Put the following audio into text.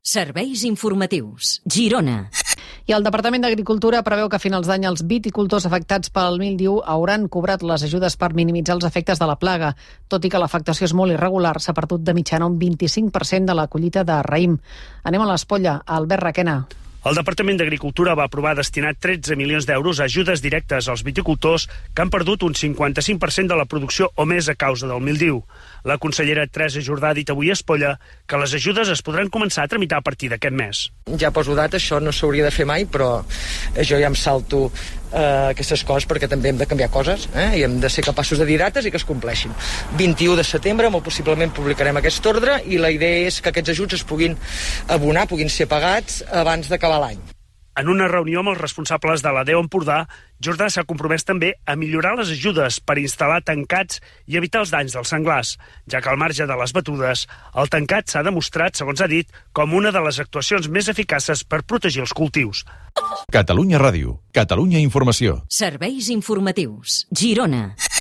Serveis informatius. Girona. I el Departament d'Agricultura preveu que a finals d'any els viticultors afectats pel míldiu hauran cobrat les ajudes per minimitzar els efectes de la plaga. Tot i que l'afectació és molt irregular, s'ha perdut de mitjana un 25% de la collita de raïm. Anem a l'Espolla, a Albert Requena. El Departament d'Agricultura va aprovar destinar 13 milions d'euros a ajudes directes als viticultors que han perdut un 55% de la producció o més a causa del míldiu. La consellera Teresa Jordà ha dit avui a Espolla que les ajudes es podran començar a tramitar a partir d'aquest mes. Ja poso data, això no s'hauria de fer mai, però jo ja em salto aquestes coses perquè també hem de canviar coses i hem de ser capaços de dir dates i que es compleixin. 21 de setembre, molt possiblement publicarem aquest ordre i la idea és que aquests ajuts es puguin abonar, puguin ser pagats abans d'acabar l'any. En una reunió amb els responsables de la DEO Empordà, Jordà s'ha compromès també a millorar les ajudes per instal·lar tancats i evitar els danys dels senglars, ja que al marge de les batudes, el tancat s'ha demostrat, segons ha dit, com una de les actuacions més eficaces per protegir els cultius. Catalunya Ràdio, Catalunya Informació. Serveis informatius. Girona.